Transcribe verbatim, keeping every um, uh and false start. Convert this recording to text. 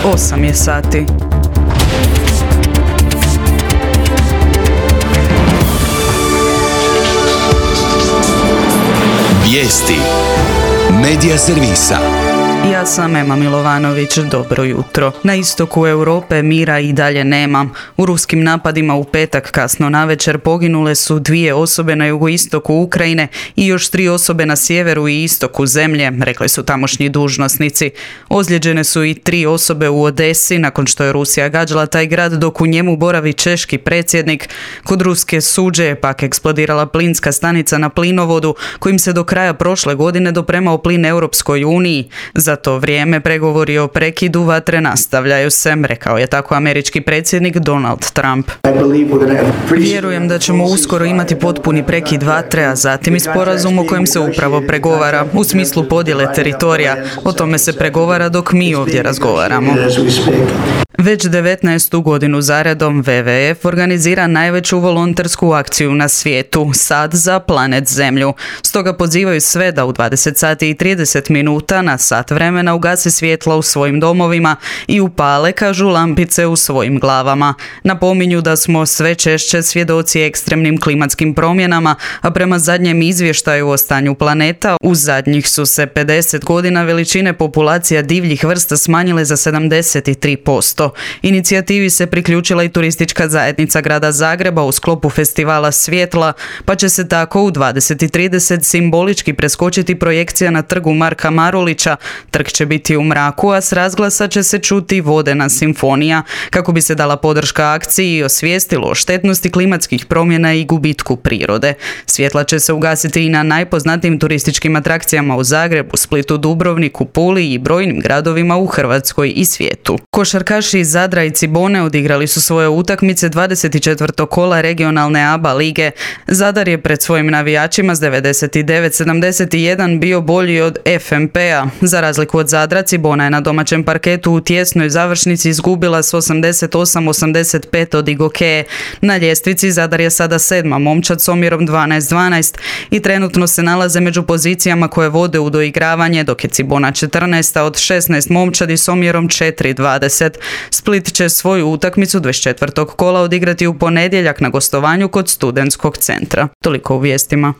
osam je sati. Vijesti Medija servisa. Ja sam Ema Milovanović, dobro jutro. Na istoku Europe mira i dalje nema. U ruskim napadima u petak kasno navečer poginule su dvije osobe na jugoistoku Ukrajine i još tri osobe na sjeveru i istoku zemlje, rekli su tamošnji dužnosnici. Ozlijeđene su i tri osobe u Odesi nakon što je Rusija gađala taj grad dok u njemu boravi češki predsjednik. Kod ruske Suđe je pak eksplodirala plinska stanica na plinovodu kojim se do kraja prošle godine dopremao plin Europskoj uniji. Za to vrijeme pregovori o prekidu vatre nastavljaju se, rekao je tako američki predsjednik Donald Trump. Vjerujem da ćemo uskoro imati potpuni prekid vatre, a zatim i sporazum o kojem se upravo pregovara, u smislu podjele teritorija. O tome se pregovara dok mi ovdje razgovaramo. Već devetnaestu godinu zaredom W W F organizira najveću volontersku akciju na svijetu, Sad za planet Zemlju. Stoga pozivaju sve da u dvadeset sati i trideset minuta na sat vremena ugase svjetla u svojim domovima i upale, kažu, lampice u svojim glavama. Napominju da smo sve češće svjedoci ekstremnim klimatskim promjenama, a prema zadnjem izvještaju o stanju planeta, u zadnjih su se pedeset godina veličine populacija divljih vrsta smanjile za sedamdeset tri posto. Inicijativi se priključila i turistička zajednica grada Zagreba u sklopu festivala svjetla, pa će se tako u dvadeset i trideset simbolički preskočiti projekcija na trgu Marka Marulića. Trg će biti u mraku, a s razglasa će se čuti vodena simfonija, kako bi se dala podrška akciji i osvijestilo o štetnosti klimatskih promjena i gubitku prirode. Svjetla će se ugasiti i na najpoznatijim turističkim atrakcijama u Zagrebu, Splitu, Dubrovniku, Puli i brojnim gradovima u Hrvatskoj i svijetu. Košarkaši iz Zadra i Cibone odigrali su svoje utakmice dvadeset četvrtog kola regionalne A B A lige. Zadar je pred svojim navijačima s devedeset devet sedamdeset jedan bio bolji od F M P-a. Za razliku od Zadra, Cibona je na domaćem parketu u tjesnoj završnici izgubila s osamdeset osam osamdeset pet od Igokeje. Na ljestvici Zadar je sada sedma momčad s omjerom dvanaest dvanaest i trenutno se nalaze među pozicijama koje vode u doigravanje, dok je Cibona četrnaesta od šesnaest momčadi s omjerom četiri dvadeset. Split će svoju utakmicu dvadeset četvrtog kola odigrati u ponedjeljak na gostovanju kod Studentskog centra. Toliko u vijestima.